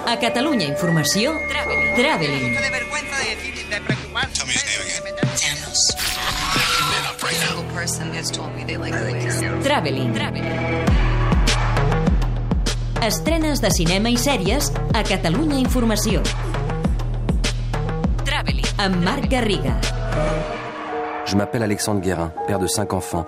A Catalunya Informació, Traveling. Traveling. Estrenes de cinema i sèries a Catalunya Informació. Traveling. Amb Marc Garriga. Je m'appelle Alexandre Guérin, père de 5 enfants.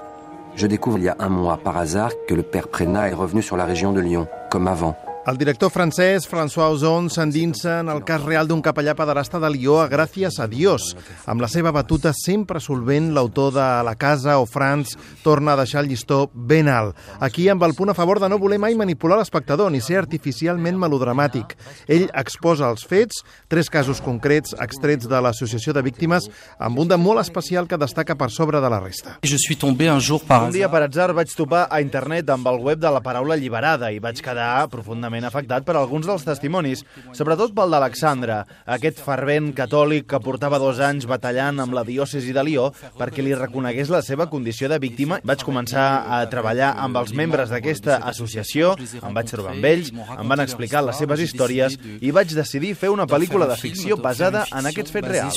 Je découvre il y a un mois, par hasard, que le père Prénat est revenu sur la région de Lyon, comme avant. El director francès François Ozon s'endinsa en el cas real d'un capellà pederasta de Lió a Gràcies a Dios. Amb la seva batuta sempre solvent, l'autor de La Casa o France torna a deixar el llistó ben alt. Aquí amb el punt a favor de no voler mai manipular l'espectador ni ser artificialment melodramàtic. Ell exposa els fets, 3 casos concrets extrets de l'Associació de Víctimes, amb un de molt especial que destaca per sobre de la resta. Un dia per atzar vaig topar a internet amb el web de La Paraula Alliberada i vaig quedar profundament afectat per alguns dels testimonis, sobretot pel d'Alexandre, aquest fervent catòlic que portava 2 anys batallant amb la diòcesi de Lió perquè li reconegués la seva condició de víctima. Vaig començar a treballar amb els membres d'aquesta associació, em vaig trobar amb ells, em van explicar les seves històries i vaig decidir fer una pel·lícula de ficció basada en aquests fets reals.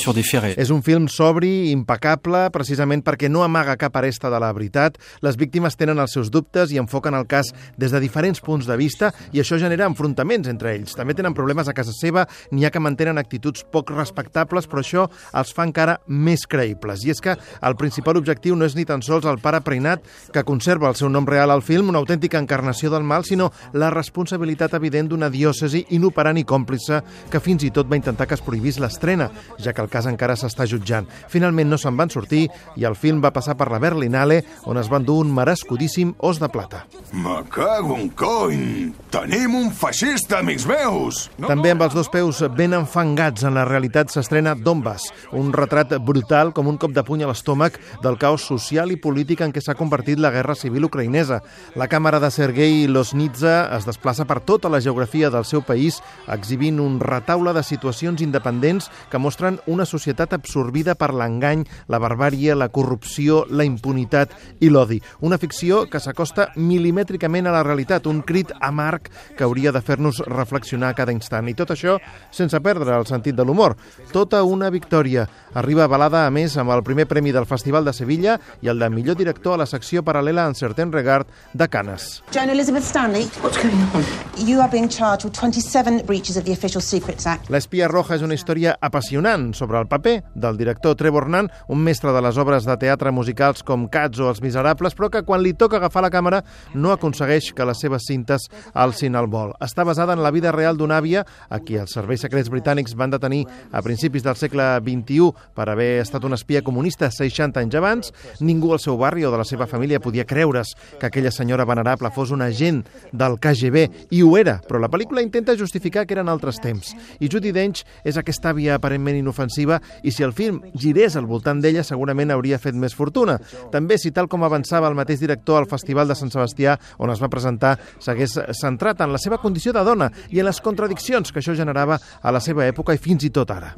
És un film sobri, impecable, precisament perquè no amaga cap aresta de la veritat. Les víctimes tenen els seus dubtes i enfoquen el cas des de diferents punts de vista i això genera enfrontaments entre ells. També tenen problemes a casa seva, n'hi ha que mantenen actituds poc respectables, però això els fa encara més creïbles. I és que el principal objectiu no és ni tan sols el pare Prénat, que conserva el seu nom real al film, una autèntica encarnació del mal, sinó la responsabilitat evident d'una diòcesi inoperant i còmplice que fins i tot va intentar que es prohibís l'estrena, ja que el cas encara s'està jutjant. Finalment no se'n van sortir i el film va passar per la Berlinale, on es van dur un merescudíssim os de plata. Me cago en cony! Tenim un feixista, amics meus! També amb els 2 peus ben enfangats en la realitat s'estrena Donbass, un retrat brutal com un cop de puny a l'estómac del caos social i polític en què s'ha convertit la guerra civil ucraïnesa. La càmera de Sergei Loznitsa es desplaça per tota la geografia del seu país, exhibint un retaule de situacions independents que mostren una societat absorbida per l'engany, la barbàrie, la corrupció, la impunitat i l'odi. Una ficció que s'acosta milimètricament a la realitat, un crit amarg que hauria de fer-nos reflexionar a cada instant. I tot això sense perdre el sentit de l'humor. Tota una victòria. Arriba avalada, a més, amb el primer premi del Festival de Sevilla i el de millor director a la secció paral·lela en Certain Regard de Cannes. Joan Elizabeth Stanley, what's going on? You are being charged with 27 breaches of the Official Secrets Act. L'Espia Roja és una història apassionant sobre el paper del director Trevor Nunn, un mestre de les obres de teatre musicals com Cats o Els Miserables, però que quan li toca agafar la càmera no aconsegueix que les seves cintes alcin el vol. Està basada en la vida real d'una àvia a qui els serveis secrets britànics van detenir a principis del segle XXI per haver estat una espia comunista 60 anys abans. Ningú al seu barri o de la seva família podia creure's que aquella senyora venerable fos un agent del KGB, i ho era, però la pel·lícula intenta justificar que eren altres temps. I Judi Dench és aquesta àvia aparentment inofensiva, i si el film girés al voltant d'ella segurament hauria fet més fortuna. També si, tal com avançava el mateix director al Festival de Sant Sebastià, on es va presentar, s'hagués centrat en la seva condició de dona i en les contradiccions que això generava a la seva època i fins i tot ara.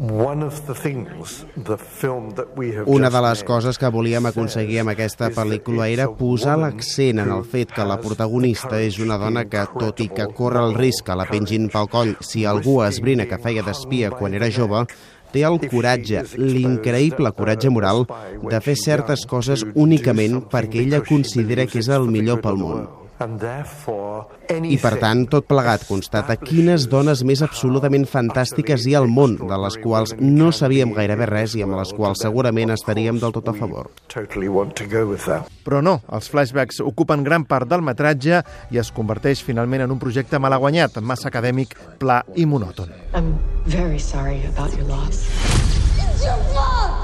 Una de les coses que volíem aconseguir amb aquesta pel·lícula era posar l'accent en el fet que la protagonista és una dona que, tot i que corre el risc que la pengin pel coll si algú esbrina que feia d'espia quan era jove, té el coratge, l'increïble coratge moral, de fer certes coses únicament perquè ella considera que és el millor pel món. I, per tant, tot plegat constata quines dones més absolutament fantàstiques hi ha al món, de les quals no sabíem gairebé res i amb les quals segurament estaríem del tot a favor. Però no, els flashbacks ocupen gran part del metratge i es converteix finalment en un projecte malaguanyat, massa acadèmic, pla i monòton. I'm very sorry about your loss. It's your fault!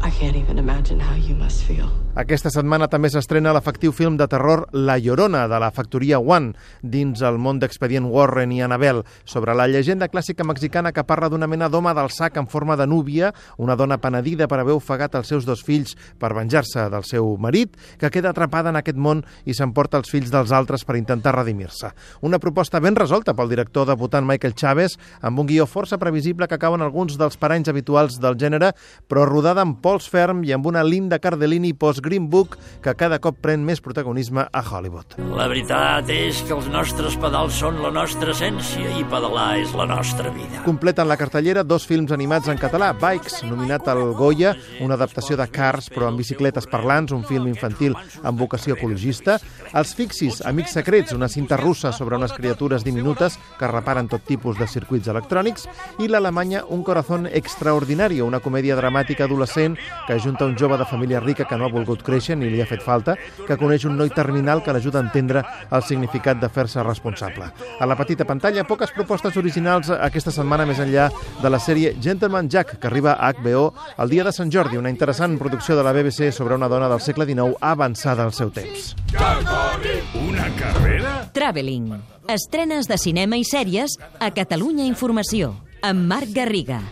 I can't even imagine how you must feel. Aquesta setmana també s'estrena l'efectiu film de terror La Llorona, de la factoria One, dins el món d'Expedient Warren i Annabelle, sobre la llegenda clàssica mexicana que parla d'una mena d'home del sac en forma de núvia, una dona penedida per haver ofegat els seus 2 fills per venjar-se del seu marit, que queda atrapada en aquest món i s'emporta els fills dels altres per intentar redimir-se. Una proposta ben resolta pel director debutant Michael Chaves, amb un guió força previsible que cauen alguns dels paranys habituals del gènere, però rodada amb pols ferm i amb una Linda Cardellini posa gros Green Book que cada cop pren més protagonisme a Hollywood. La veritat és que els nostres pedals són la nostra essència i pedalar és la nostra vida. Completen la cartellera 2 films animats en català. Bikes, nominat al Goya, una adaptació de Cars però amb bicicletes parlants, un film infantil amb vocació ecologista. Els Fixis, Amics secrets, una cinta russa sobre unes criatures diminutes que reparen tot tipus de circuits electrònics. I l'Alemanya, Un corazón extraordinario, una comèdia dramàtica adolescent que ajunta un jove de família rica que no ha volgut créixer ni li ha fet falta, que coneix un noi terminal que l'ajuda a entendre el significat de fer-se responsable. A la petita pantalla, poques propostes originals aquesta setmana més enllà de la sèrie Gentleman Jack, que arriba a HBO el dia de Sant Jordi, una interessant producció de la BBC sobre una dona del segle XIX avançada al seu temps. Una carrera? Traveling. Estrenes de cinema i sèries a Catalunya Informació, amb Marc Garriga.